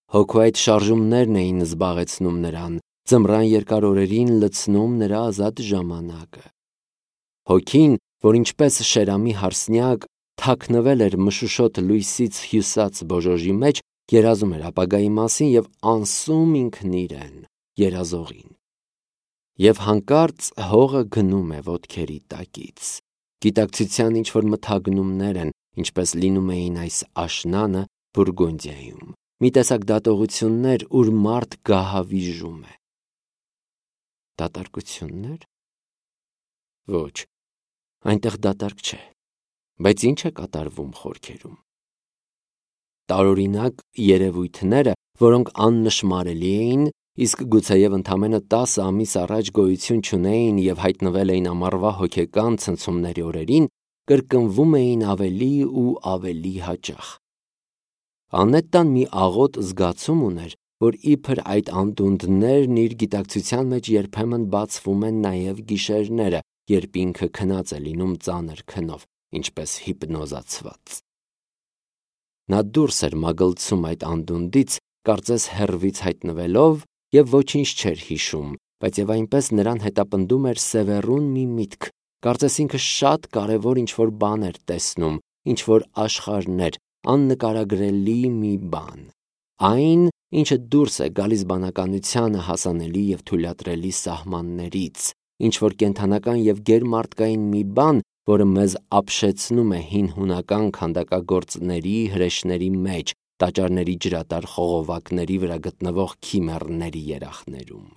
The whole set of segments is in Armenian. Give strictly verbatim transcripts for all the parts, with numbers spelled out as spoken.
Հոգու այդ շարժումներն էին զբաղեցնում նրան, ձմռան երկար օրերին լցնում նրա ազատ ժամանակը։ Հոգին, որ ինչպես շերամի հարսնյակ թաքնվել էր մշուշոտ լույսից հյուսած բոժոժի մեջ, երազում էր ապագայի մասին և անսում ինքն իրեն, երազողին։ Եվ հանկարծ հողը գնում է ոտքերի տակից։ Գիտակցության ինչ-որ մթագնումներ են, ինչպես լինում էին այս աշնանը Բուրգունդիայում, մի տեսակ դատողություններ, ուր մարդ գահավիժում է։ Դատարկություննե՞ր։ Ոչ, այնտեղ դատարկ չէ, բայց ինչ է կատարվում խորքերում։ Տարօրինակ երևույթները, որոնք աննշմարելի էին, իսկ գուցեև ընդամենը տասը ամիս առաջ գոյություն չունեին և հայտնվել էին ամառվա հոգեկան ցնցումների օրերին, կրկնվում էին ավելի ու ավելի հաճախ։ Անետտան մի աղոտ զգացում ուներ, որ իբր այդ անդունդներն իր գիտակցության մեջ երբեմն բացվում են նաև գիշերները, երբ ինքը քնած է լինում ծանր քնով, ինչպես հիպնոզացված։ Նա դուրս էր մագլցում այդ անդունդից, կարծես հեռվից հայտնվելով, և ոչինչ չէր հիշում, բայց և այնպես նրան հետապնդում էր սևեռուն մի միտք, կարծես ինքը շատ կարևոր ինչ-որ բան էր տեսնում, ինչ-որ աշխարհներ, աննկարագրելի մի բան։ Այն, ինչը դուրս է գալիս բանականությանը հասանելի և թույլատրելի սահմաններից, ինչ-որ կենդանական և գերմարդկային մի բան, որը մեզ ապշեցնում է հին հունական քանդակագործների հրեշների մեջ, տաճարների ջրատար խողովակների վրա գտնվող քիմեռների երախներում։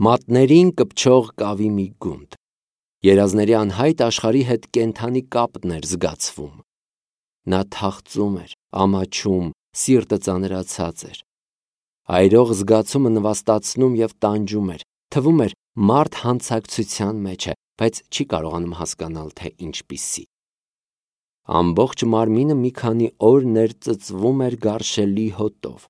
Մատներին կպչող կավի մի գունդ։ Երազների անհայտ աշխարհի հետ կենդանի կապն էր զգացվում։ Նա թախծում էր, ամաչում, սիրտը ծանրացած էր։ Այրող զգացումը նվաստացնում և տանջում էր, թվում էր մարդ հանցակցության մեջ է, բայց չի կարողանում հասկանալ, թե ինչպիսի։ Ամբողջ մարմինը մի քանի օր ներծծվում էր գարշելի հոտով։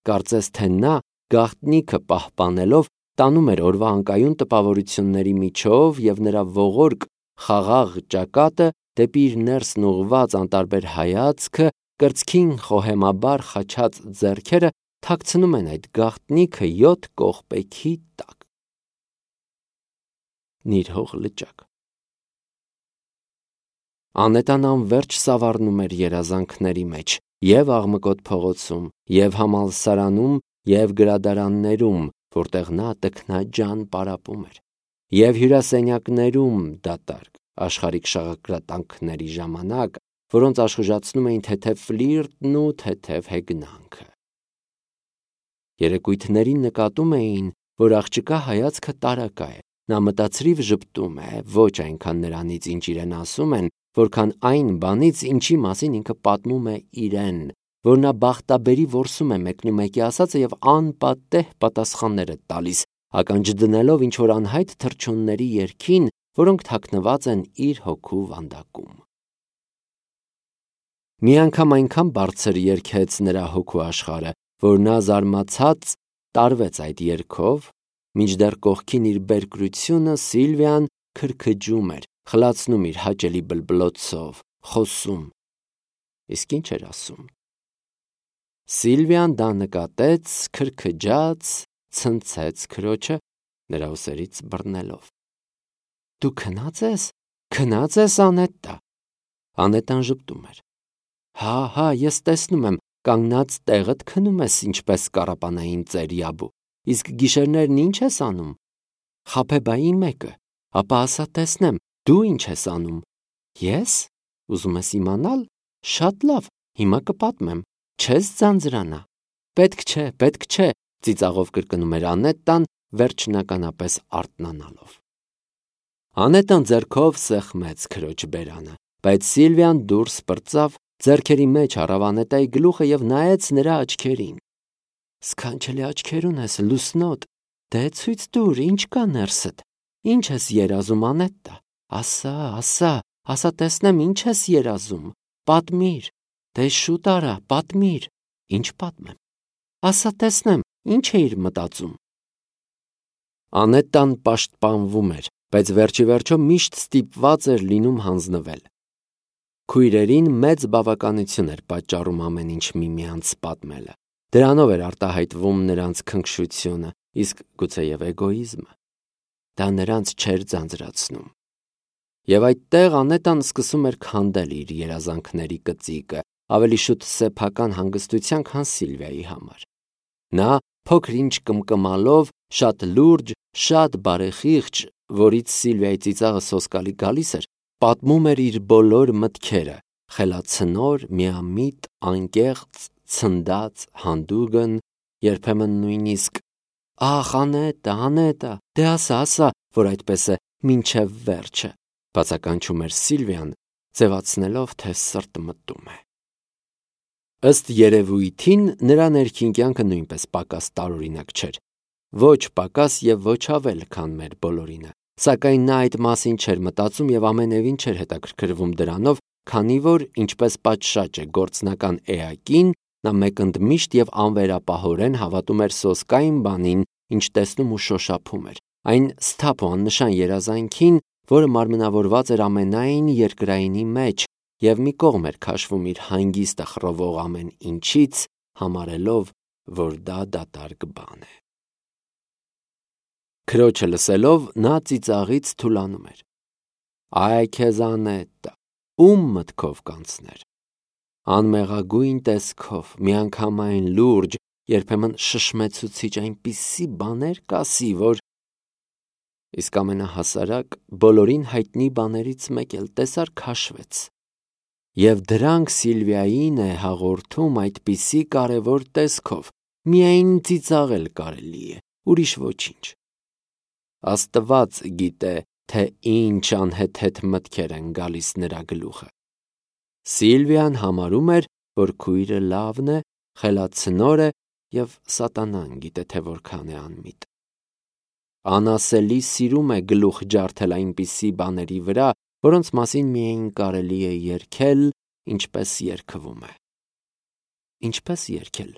Կարծես թե նա, գաղտնիքը պահպանելով, տանում էր օրվա անկայուն տպավորությունների միջով և նրա ողորկ, խաղաղ ճակատը դեպի իր ներսն ուղղված անտարբեր հայացքը, կրծքին խոհեմաբար խաչած ձեռքերը թաքցնում են այդ գաղտնիքը յոթ կողպեքի տակ։ Նիրհող լճակ։ Անետան անվերջ սավառնում էր երազանքների մեջ, և աղմկոտ փողոցում, և համալսարանում, և գրադարաններում, որտեղ նա տքնաջան պարապում էր, և հյուրասենյակներում դատարկ, աշխարհիկ շաղակրատանքների ժամանակ, որոնց աշխուժացնում էին թեթև ֆլիրտն ու թեթև հեգնանքը։ Երեկույթներին նկատում էին, որ աղջկա հայացքը տարակա է, նա մտածրիվ ժպտում է, ոչ այնքան նրանից, ինչ իրեն ասում են, որքան այն բանից, ինչի մասին ինքը պատմում է իրեն, որ նա բախտաբերի որսում է մեկնումեկի ասածը և անպատեհ պատասխաններ է տալիս, ականջ դնելով ինչ-որ անհայտ թռչունների երգին, որոնք թաքնված են իր հոգու վանդակում։ Մի անգամ այնքան բարձր երգեց նրա հոգու աշխարհը, որ նա զարմացած տարվեց այդ երգով, մինչդեռ կողքին իր բերկրությունը Սիլվիան քրքջում էր, խլացնում իր հաճելի բլբլոցով, խոսում։ Իսկ ինչ էր ասում։ Սիլվիան դա նկատեց, քրքջաց, ցնցեց քրոջը, նրա ուսերից բռնելով։ Դու քնա՞ծ ես, քնա՞ծ ես, Անետտա։ Անետտան ժպտում էր։ Հա, հա, ես տեսնում եմ, կանգնած տեղդ քնում ես, ինչպես կառապանային ծեր Յաբու, իսկ գիշերներն ինչ ես անում։ Խաբեբայի մեկը, ապա ասա տեսնեմ, դու ինչ ես անում։ Ես։ Ուզում ես իմանալ։ Շատ լավ, հիմա կպատմեմ, չես ձանձրանա։ Պետք չէ, պետք չէ, ծիծաղով կրկնում էր Անետտան, վերջնականապես արթնանալով։ Անետտան ձեռքով սեղմեց քրոջ բերանը, բայց Սիլվիան դուրս պրծավ, ձեռքերի մեջ առավ Անետտայի գլուխը և նայեց նրա աչքերին։ Սքանչելի աչքեր ունես, լուսնոտ, դե ցույց տուր, ինչ կա ներսդ, ինչ ես երազում, Անետտա, ասա, ասա, ասա տեսնեմ, ինչ ես երազում, պատմիր, դե շուտ արա, պատմիր, ինչ պատմեմ, ասա տեսնեմ, ինչ էիր մտածում։ Անետտան պաշտպանվում էր, բայց վերջիվերջո միշտ ստիպված էր լինում հանձնվել։ Քույրերին մեծ բավականություն էր պատճառում ամեն ինչ միմյանց պատմելը։ Դրանով էր արտահայտվում նրանց քնքշությունը, իսկ գուցեև էգոիզմը։ Դա նրանց չէր ձանձրացնում։ Եվ այդտեղ Անետան սկսում էր քանդել իր երազանքների կծիկը, ավելի շուտ սեփական հանգստության, քան Սիլվիայի համար։ Նա փոքր ինչ կմկմալով, շատ լուրջ, շատ բարեխիղճ, որից Սիլվիայի ծիծաղը սոսկալի գալիս էր, պատմում էր իր բոլոր մտքերը, խելացնոր, միամիտ, անկեղծ, ցնդած, հանդուգն, երբեմն նույնիսկ «Ախ, Անետա, Անետա, դե ասա, ասա, որ այդպես է մինչև վերջը», բացականչում էր Սիլվիան, ձևացնելով, թե սրտը մտում է։ Ըստ երևույթին նրա ներքին կյանքը նույնպես պակաս տարօրինակ չէր, ոչ պակաս և ոչ ավել, քան մեր բոլորինը, սակայն նա այդ մասին չէր մտածում և ամենևին չէր հետաքրքրվում դրանով, քանի որ, ինչպես պատշաճ է գործնական էակին, նա մեկընդմիշտ և անվերապահորեն հավատում էր սոսկային բանին, ինչ տեսնում ու շոշափում էր, այն սթափ ու աննշան երազանքին, որը մարմնավորված էր ամենայն երկրայինի մեջ և մի կողմ էր քաշվում իր հանգիստը խռովող ամեն ինչից, համարելով, որ դա դատարկ բան է։ Քրոջը լսելով, նա ծիծաղից թուլանում էր։ Այ քեզ Անետա, ում մտքով կանցներ։ Անմեղագույն տեսքով, միանգամայն լուրջ, երբեմն շշմեցուցիչ, այնպիսի բաներ կասի, որ… Իսկ ամենահասարակ, բոլորին հայտնի բաներից մեկ էլ տեսար քաշվեց։ Եվ դրանք Սիլվիային է հաղորդում այդպիսի կարևոր տեսքով, միայն ծիծաղել կարելի է, ուրիշ ոչինչ։ Աստված գիտե, թե ինչ անհեթեթ մտքեր են գալիս նրա գլուխը։ Սիլվիան համարում էր, որ քույրը լավն է, խելացնոր է և սատանան գիտե, թե որքան է անմիտ։ Անասելի սիրում է գլուխ ջարդել այնպիսի բաների վրա, որոնց մասին միայն կարելի է երգել, ինչպես երգվում է։ Ինչպես երգել,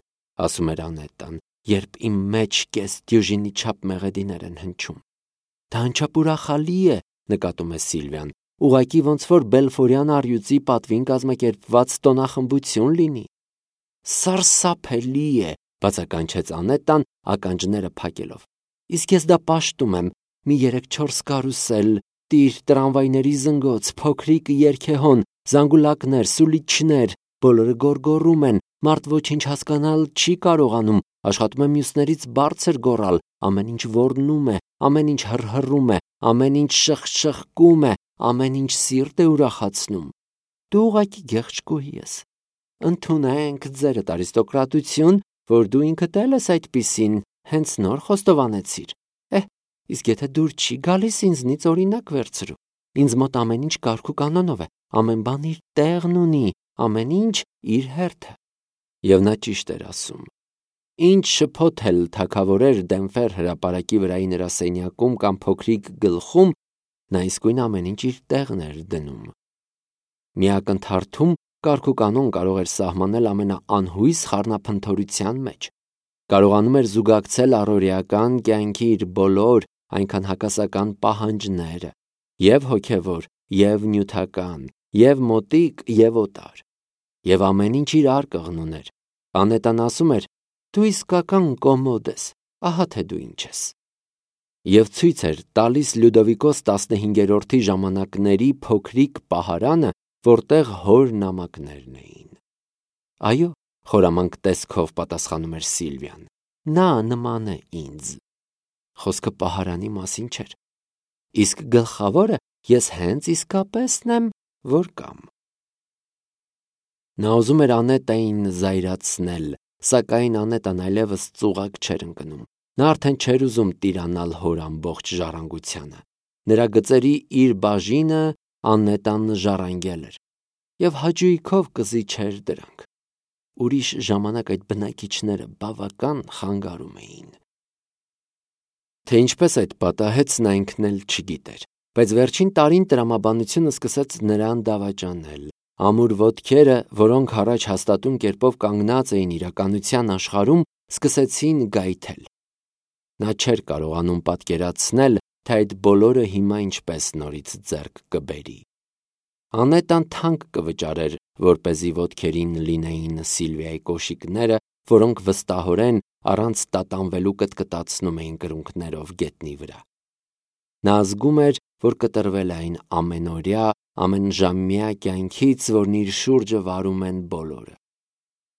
ասում էր Անետան, երբ իմ մեջ կես դյուժինի չափ մեղեդիներ են հնչում։ Դա անչափ ուրախալի է, նկատում է Սիլվիան, ուղղակի ոնց որ Բելֆորյան առյուծի պատվին կազմակերպված տոնախմբություն լինի։ Սարսափելի է, բացականչեց Անետան, ականջները փակելով։ Իսկ ես դա պաշտում եմ, մի երեք-չորս կարուսել, տիր, տրամվայների զնգոց, փոքրիկ երգեհոն, զանգուլակներ, սուլիչներ, բոլորը գոռգոռում են, մարդ ոչինչ հասկանալ չի կարողանում, աշխատում է մյուսներից բարձր գոռալ, ամեն ինչ ոռնում է, ամեն ինչ հռհռում է, ամեն ինչ շխշխկում է, ամեն ինչ սիրտ է ուրախացնում։ Դու ուղղակի գեղեցկուհի ես։ Ընդունենք ձերդ արիստոկրատություն, որ դու ինքդ էլ ես այդպիսին, հենց նոր խոստովանեցիր։ Էհ, իսկ եթե դուր չի գալիս ինձնից օրինակ վերցրու։ Ինձ մոտ ամեն ինչ կարգ ու կանոնով է, ամեն բան իր տեղն ունի, ամեն ինչ իր հերթը։ Եվ նա ճիշտ էր ասում։ Ինչ շփոթել թագավորեր Դենֆեր հրապարակի վրայի նրա սենյակում կամ փոքրիկ գլխում, նա իսկույն ամեն ինչ իր տեղն էր դնում։ Մի ակնթարթում կարգ ու կանոն կարող էր սահմանել ամենաանհույս խառնափնթորության մեջ։ Կարողանում էր զուգակցել առօրեական կյանքի իր բոլոր, այնքան հակասական պահանջները, և հոգևոր, և նյութական, և մոտիկ, և օտար։ Եվ ամեն ինչ իր արկղն ուներ։ Անետան ասում էր. «Դու իսկական կոմոդ ես, ահա թե դու ինչ ես»։ Եվ ցույց էր տալիս Լյուդովիկոս տասնհինգերորդի ժամանակների փոքրիկ պահարանը, որտեղ հոր նամակներն էին։ Այո, խորամանկ տեսքով պատասխանում էր Սիլվիան, նա նման է ինձ։ Խոսքը պահարանի մասին չէր։ Իսկ գլխավորը ես հենց իսկապեսն եմ, որ կամ։ Նա ուզում էր Անետային զայրացնել, սակայն Անետան այլևս ծուղակ չէր ընկնում։ Նա արդեն չէր ուզում տիրանալ հոր ամբողջ ժառանգությանը։ Նրա գծերի իր բաժինը Անետան ժառանգել էր, և հաճույքով կզիջեր դրանք։ Ուրիշ ժամանակ այդ բնակիչները բավական խանգարում էին։ Թե ինչպես այդ պատահեց, նա ինքն էլ չգիտեր, բայց վերջին տարին տրամաբանությունը սկսեց նրան դավաճանել։ Ամուր ոտքերը, որոնք առաջ հաստատուն կերպով կանգնած էին իրականության աշխարհում, սկսեցին գայթել։ Նա չէր կարողանում պատկերացնել, թե այդ բոլորը հիմա ինչպես նորից ձեռք կբերի։ Անետան թանկ կվճարեր, որպեսզի ոտքերին լինեին Սիլվիայի կոշիկները, որոնք վստահորեն առանց տատանվելու կտկտացնում էին կրունկներով գետնի վրա։ Նա զգում էր, որ կտրվել է այն ամենօրյա, ամենժամյա կյանքից, որն իր շուրջը վարում են բոլորը։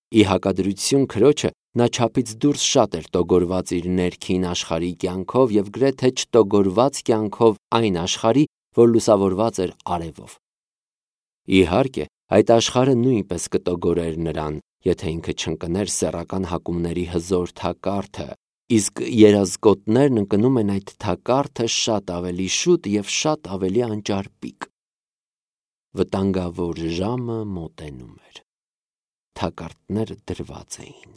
Ի հակադրություն քրոջը, նա չափից դուրս շատ էր տոգորված իր ներքին աշխարհի կյանքով և գրեթե չտոգորված կյանքով այն աշխարհի, որ լուսավորված էր արևով։ Իհարկե, այդ աշխարհը նույնպես կտոգորեր նրան, եթե ինքը չընկներ սեռական հակումների հզոր թակարդը, իսկ երազկոտներն ընկնում են այդ թակարդը շատ ավելի շուտ և շատ ավելի անճարպիկ։ Վտանգավոր ժամը մոտենում էր։ Թակարդները դրված էին։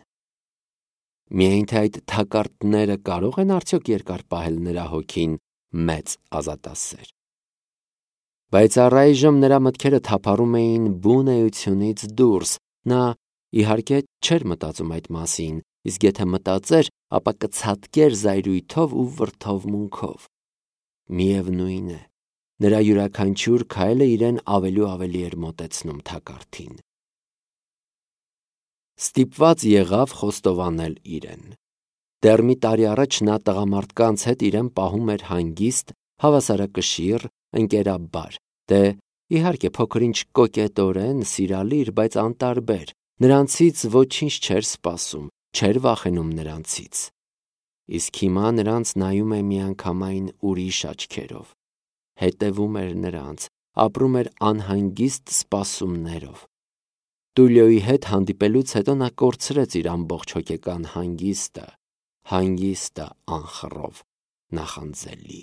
Միայն թե այդ թակարդները կարո՞ղ են արդյոք երկար պահել նրա հոգին մեծ ազատասեր։ Բայց առայժմ նրա մտքերը թափառում էին բուն էությունից դուրս։ Նա իհարկե չէր մտածում այդ մասին, իսկ եթե մտածեր, ապա կցատկեր զայրույթով ու վրդովմունքով։ Միևնույն է, նրա յուրաքանչյուր քայլը իրեն ավելի ու ավելի էր մոտեցնում թակարդին։ Ստիպված եղավ խոստովանել իրեն։ Դեռ մի տարի առաջ նա տղամարդկանց հետ իրեն պահում էր հանգիստ, հավասարակշիռ, ընկերաբար, դե իհարկե փոքր-ինչ կոկետորեն, սիրալիր, բայց անտարբեր, նրանցից ոչինչ չէր սպասում, չէր վախենում նրանցից։ Իսկ հիմա նրանց նայում է միանգամայն ուրիշ աչքերով, հետևում էր նրանց, ապրում էր անհանգիստ սպասումներով։ Տուլիոյի հետ հանդիպելուց հետո նա կորցրեց իր ամբողջ հոգեկան հանգիստը, հանգիստը անխռով, նախանձելի։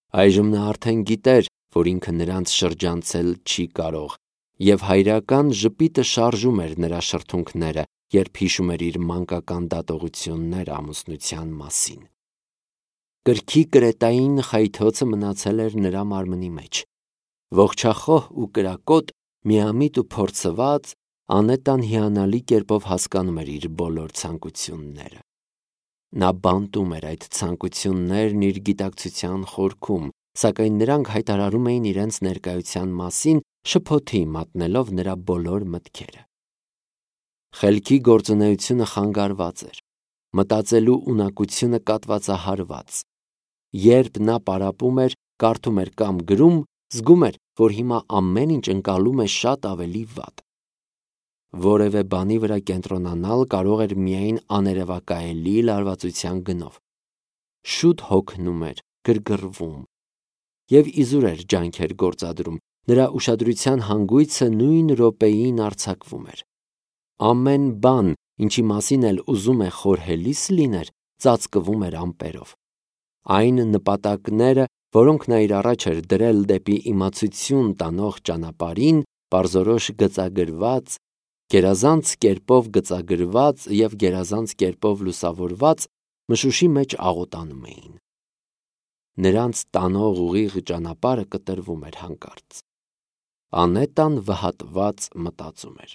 Այժմ նա արդեն գիտեր, որ ինքը նրանց շրջանցել չի կարող, և հայրական ժպիտը շարժում էր նրա շրթունքները, երբ հիշում էր իր մանկական դատողությունները ամուսնության մասին։ Կրքի կրետային խայթոցը մնացել էր նրա մարմնի մեջ։ Ողջախոհ ու կրակոտ, միամիտ ու փորձված, Անետան հիանալի կերպով հասկանում էր իր բոլոր ցանկությունները։ Նա բանտում էր այդ ցանկություններն իր գիտակցության խորքում, սակայն նրանք հայտարարում էին իրենց ներկայության մասին, շփոթի մատնելով նրա բոլոր մտքերը։ Խելքի գործունեությունը խանգարված էր, մտածելու ունակությունը կատվածահարված։ Երբ նա պարապում էր, կարդում էր կամ գրում, զգում էր, որ հիմա ամեն ինչ ընկալում է շատ ավելի վատ։ Որևէ բանի վրա կենտրոնանալ կարող էր միայն աներևակայելի լարվածության գնով։ Շուտ հոգնում էր, գրգռվում և իզուր էր ջանքեր գործադրում, նրա ուշադրության հանգույցը նույն րոպեին արձակվում էր։ Ամեն բան, ինչի մասին էլ ուզում է խորհելիս լիներ, ծածկվում էր ամպերով։ Այն նպատակները, որոնք նա իր առաջ էր դրել դեպի իմացություն տանող ճանապարհին, պարզորոշ գծագրված, գերազանց կերպով գծագրված և գերազանց կերպով լուսավորված, մշուշի մեջ աղոտանում էին։ Նրանց տանող ուղիղ ճանապարհը կտրվում էր հանկարծ։ Անետան վհատված մտածում էր.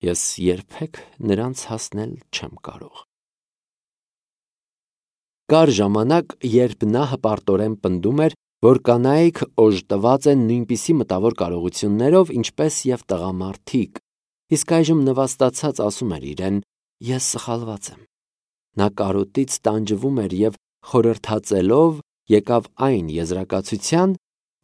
ես երբեք նրանց հասնել չեմ կարող։ Կար ժամանակ, երբ նա հպարտորեն պնդում էր, որ կանայք օժտված են նույնպիսի մտավոր կարողություններով, ինչպես և տղամարդիկ, իսկ այժմ նվաստացած ասում էր իրեն. ես սխալված եմ։ Նա կարոտից տանջվում էր և խորհրդածելով եկավ այն եզրակացության,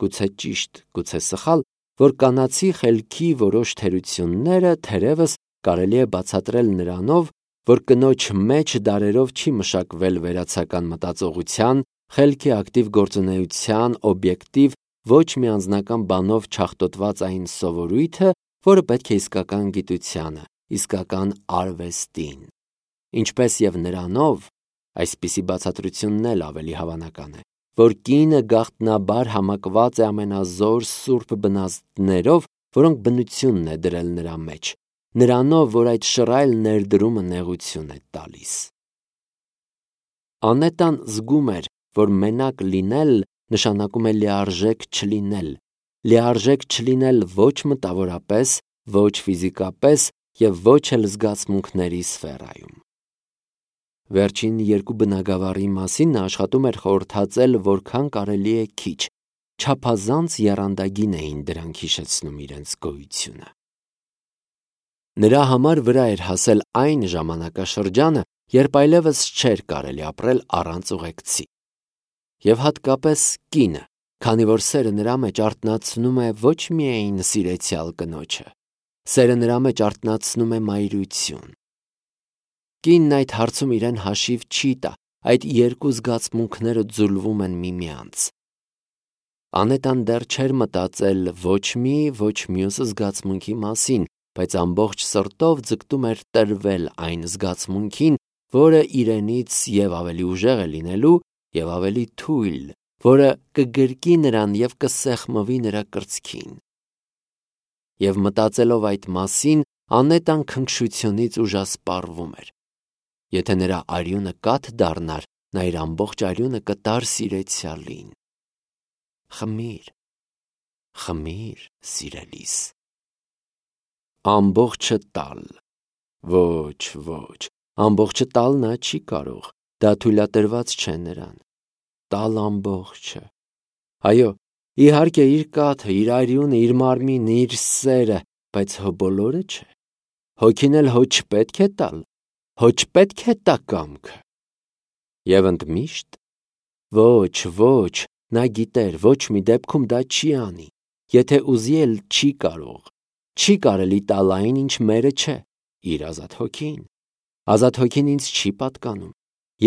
գուցե ճիշտ, գուցե սխալ, որ կանացի խելքի որոշ թերությունները թերևս կարելի է բացատրել նրանով, որ կնոջ մեջ դարերով չի մշակվել վերացական մտածողության, խելքի ակտիվ գործունեության, օբյեկտիվ, ոչ մի անձնական բանով չախտոտված այն սովորույթը, որը պետք է իսկական գիտությանը, իսկական արվեստին, ինչպես և նրանով, այսպիսի բացատրությունն էլ ավելի հավանական է, որ կինը գաղտնաբար համակված է ամենազոր սուրբ բնազդներով, որոնք բնությունն է դրել նրա մեջ, նրանով, որ այդ շռայլ ներդրումը նեղություն է տալիս։ Անետան զգում էր, որ մենակ լինել նշանակում է լիարժեք չլինել, լիարժեք չլինել ոչ մտավորապես, ոչ ֆիզիկապես և ոչ էլ զգացմունքների սֆերայում։ Վերջին երկու բնագավառի մասին նա աշխատում էր խորհրդածել որքան կարելի է քիչ, չափազանց եռանդագին էին դրանք հիշեցնում իրենց գոյությունը։ Նրա համար վրա էր հասել այն ժամանակաշրջանը, երբ այլևս չէր կարելի ապրել առանց ուղեկցի։ Եվ հատկապես կինը, քանի որ սերը նրա մեջ արթնացնում է ոչ միայն սիրեցյալ կնոջը, սերը նրա մեջ արթնացնում է մայրություն։ Կինն այդ հարցում իրեն հաշիվ չի տա, այդ երկու զգացմունքները ձուլվում են միմյանց։ Անետան դեռ չէր մտածել ոչ մի, ոչ մյուս զգացմունքի մասին, բայց ամբողջ սրտով ձգտում էր տրվել այն զգացմունքին, որը իրենից և ավելի ուժեղ է լինելու, և ավելի թույլ, որը կգրկի նրան և կսեղմվի նրա կրծքին։ Եվ մտածելով այդ մասին, Անետան քնքշությունից ուժասպառվում էր։ Եթե նրա արյունը կաթ դառնար, նա իր ամբողջ արյունը կտար սիրեցյալին։ Խմիր, խմիր, սիրելիս։ Ամբողջը տալ։ Ոչ, ոչ, ամբողջը տալ նա չի կարող, դա թույլատրված չէ նրան։ Տալ ամբողջը։ Այո, իհարկե իր կաթը, իր արյունը, իր մարմինը, իր սերը, բայց հո բոլորը չէ։ Հոգին էլ հո չպետք է տալ, հո չպետք է տա կամքը։ Եվ ընդմիշտ։ Ոչ, ոչ, նա գիտեր, ոչ մի դեպքում դա չի անի, եթե ուզի էլ չի կարող, չի կարելի տալ այն, ինչ մերը չէ, իր ազատ հոգին։ Ազատ հոգին ինձ չի պատկանում,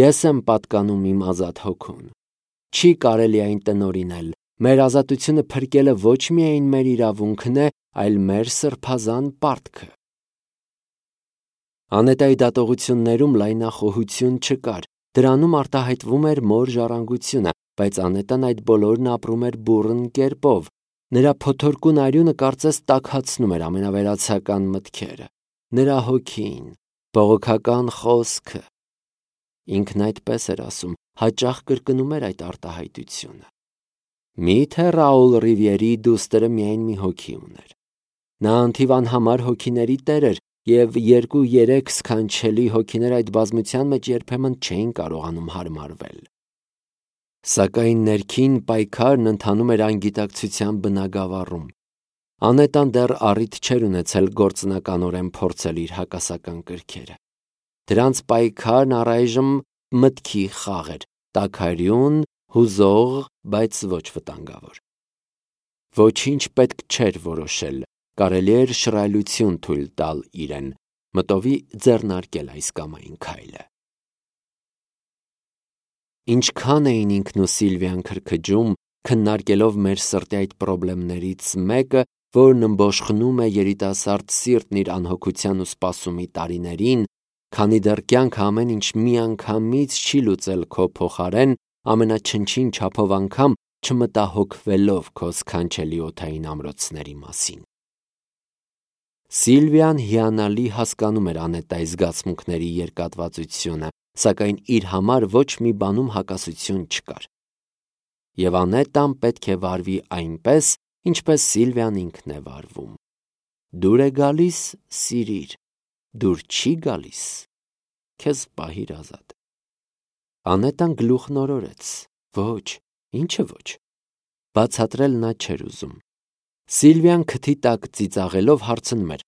ես եմ պատկանում իմ ազատ հոգուն։ Չի կարելի այն տնօրինել, մեր ազատությունը փրկելը ոչ միայն մեր իրավունքն է, այլ մեր սրբազան պարտքը։ Անետայի դատողություններում լայնախոհություն չկար, դրանում արտահայտվում էր մոր ժառանգությունը, բայց Անետան այդ բոլորն ապրում էր բուռն կերպով, նրա փոթորկուն արյունը կարծես տաքացնում էր ամենավերացական մտքերը, նրա հոգին, բողոքական խոսքը։ Ինքն այդպես էր ասում, հաճախ կրկնում էր այդ արտահայտությունը։ Միթե Ռաուլ Ռիվիերի դուստրը միայն մի հոգի ուներ։ Նա անթիվ անհամար հոգիների տեր էր, և երկու-երեք սքանչելի հոգիներ այդ բազմության մեջ երբեմն չէին կարողանում հարմարվել։ Սակայն ներքին պայքարն ընթանում էր անգիտակցության բնագավառում։ Անետան դեռ առիթ չէր ունեցել գործնականորեն փորձել իր հակասական կրքերը։ Դրանց պայքարն առայժմ մտքի խաղ էր, տաքարյուն, հուզող, բայց ոչ վտանգավոր։ Ոչինչ պետք չէր որոշել, կարելի էր շռայլություն թույլ տալ իրեն, մտովի ձեռնարկել այս կամ այն քայլը։ Ինչքան էին ինքն ու Սիլվիան քրքջում, քննարկելով մեր սրտի այդ պրոբլեմներից մեկը, որն ըմբոշխնում է երիտասարդ սիրտն իր անհոգության ու սպասումի տարիներին, քանի դեռ կյանքը ամեն ինչ միանգամից չի լուծել քո փոխարեն, ամենաչնչին չափով անգամ չմտահոգվելով քո սքանչելի օդային ամրոցների մասին։ Սիլվիան հիանալի հասկանում էր Անետայի զգացմունքների երկատվածությունը, սակայն իր համար ոչ մի բանում հակասություն չկար։ Եվ Անետան պետք է վարվի այնպես, ինչպես Սիլվիան ինքն է վարվում։ Դուր է գալիս, սիրիր, դուր չի գալիս, քեզ պահիր ազատ։ Անետան գլուխնորորեց. Ոչ, ինչը ոչ։ Բացատրել նա չէր ուզում։ Սիլվիան քթի տակ ծիծաղելով հարցնում էր.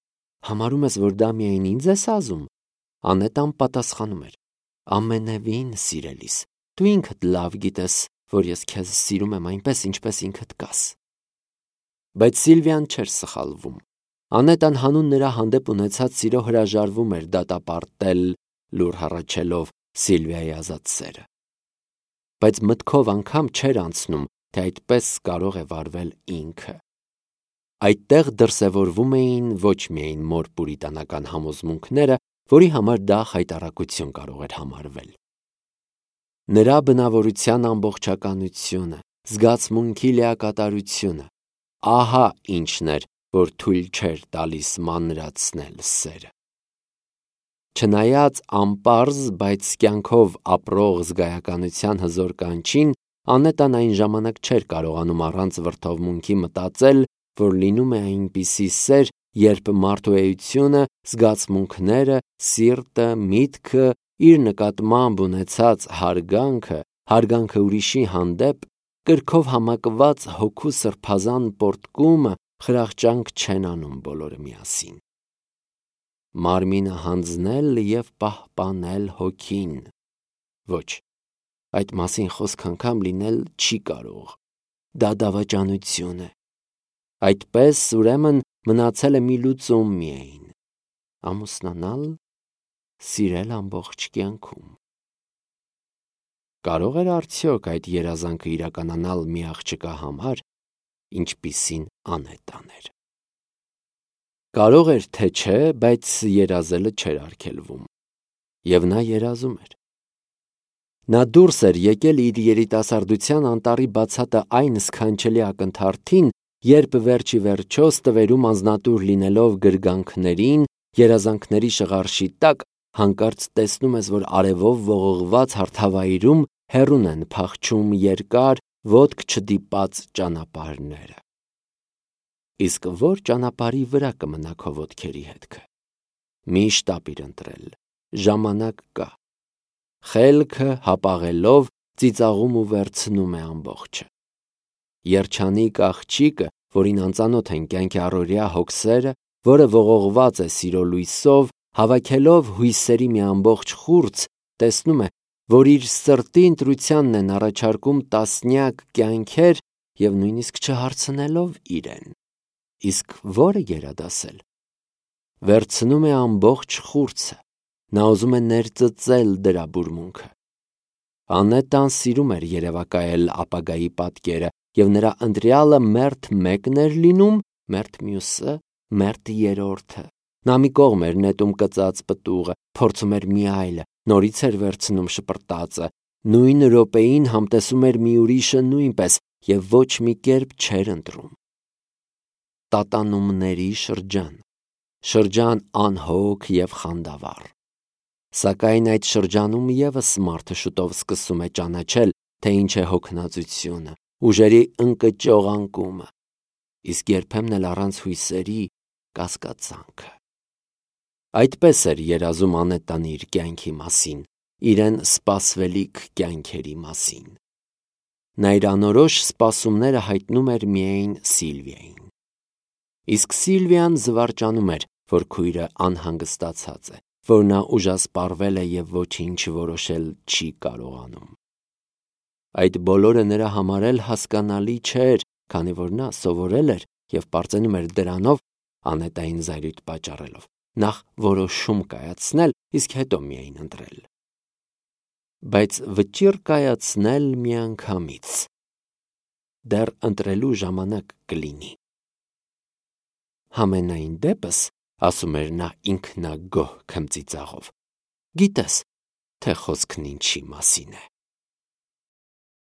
Համարում ես, որ դա միայն ինձ ես ասում։ Անետան պատասխանում էր. Ամենևին, սիրելիս, դու ինքդ լավ գիտես, որ ես քեզ սիրում եմ այնպես, ինչպես ինքդ կաս։ Բայց Սիլվիան չէր սխալվում։ Անետան հանուն նրա հանդեպ ունեցած սիրո հրաժարվում էր դատապարտել, լուր հառաչելով Սիլվիայի ազատ սերը։ Բայց մտքով անգամ չէր անցնում, թե այդպես կարող է վարվել ինքը։ Այդտեղ դրսևորվում էին ոչ միայն մոր պուրիտանական համոզմունքները, որի համար դա խայտառակություն կարող էր համարվել։ Նրա բնավորության ամբողջականությունը, զգացմունքի լիակատարությունը, ահա ինչն էր, որ թույլ չէր տալիս մանրացնել սերը։ Չնայած անպարզ, բայց կյանքով ապրող զգայականության հզոր կանչին, Անետան այն ժամանակ չէր կարողանում առանց վրդովմունքի մտածել, որ լինում է այնպիսի սեր, երբ մարդու էությունը, զգացմունքները, սիրտը, միտքը, իր նկատմամբ ունեցած հարգանքը, հարգանքը ուրիշի հանդեպ կրքով համակված հոգու սրբազան պորտկումը խրախճանք չեն անում բոլորը միասին։ Մարմինը հանձնել և պահպանել հոգին։ Ոչ, այդ մասին խոսք անգամ լինել չի կարող։ Դա դավաճանություն է։ Այդպես, ուրեմն, մնացել է մի լուծում միայն՝ ամուսնանալ, սիրել ամբողջ կյանքում։ Կարող էր արդյոք այդ երազանքը իրականանալ մի աղջկա համար, ինչպիսին Անետան էր։ Կարող էր, թե չէ, բայց երազելը չէր արգելվում։ Եվ նա երազում էր։ Նա դուրս էր եկել իր երիտասարդության անտառի բացատը այն սքանչելի ակնթարթին, երբ վերջի վերջո ստվերում անձնատուր լինելով գրգանքներին, երազանքների շղարշի տակ, հանկարծ տեսնում ես, որ արևով ողողված հարթավայրում հեռուն են փախչում երկար, ոտք չդիպած ճանապարհները։ Իսկ որ ճանապարհի վրա կմնա քո ոտքերի հետքը։ Միշտ ապիր ընտրել, ժամանակ կա։ Խելքը հապաղելով ծիծաղում ու վերցնում է ամբողջը։ Երջանիկ աղջիկը, որին անծանոթ են կյանքի առօրյա հոգսերը, որը ողողված է սիրո լույսով, հավաքելով հույսերի մի ամբողջ խուրձ, տեսնում է, որ իր սրտի ընտրությանն են առաջարկում տասնյակ կյանքեր և նույնիսկ չհարցնելով իրեն։ Իսկ որը գերադասել։ Վերցնում է ամբողջ խուրձը, նա ուզում է ներծծել դրա բուրմունքը։ Անետան սիրում էր երևակայել ապագայի պատկերը, և նրա ընտրյալը մերթ մեկն էր լինում, մերթ մյուսը, մերթ երրորդը։ Նա մի կողմ էր նետում կծած պտուղը, փորձում էր մի այլը, նորից էր վերցնում շպրտածը, նույն րոպեին համտեսում էր մի ուրիշը նույնպես և ոչ մի կերպ չէր ընտրում։ Տատանումների շրջան, շրջան անհոգ և խանդավառ։ Սակայն այդ շրջանում ևս մարդը շուտով սկսում է ճանաչել, թե ինչ է հոգնածությունը, ուժերի ընկճող անկումը, իսկ երբեմն էլ առանց հույսերի կասկածանքը։ Այդպես էր երազում Անետան իր կյանքի մասին, իրեն սպասվելիք կյանքերի մասին։ Նա իր անորոշ սպասումները հայտնում էր միայն Սիլվիային։ Իսկ Սիլվիան զվարճանում էր, որ քույրը անհանգստացած է, որ նա ուժասպառվել է և ոչինչ որոշել չի կարողանում։ Այդ բոլորը նրա համար էլ հասկանալի չէր, քանի որ նա սովորել էր և պարծենում էր դրանով, Անետային զայրույթ պատճառելով, նախ որոշում կայացնել, իսկ հետո միայն ընտրել։ Բայց վճիռ կայացնել միանգամից։ Դեռ ընտրելու ժամանակ կլինի։ Համենայն դեպս, ասում էր նա ինքնագոհ քմծիծաղով, գիտես, թե խոսքն ինչի մասին է։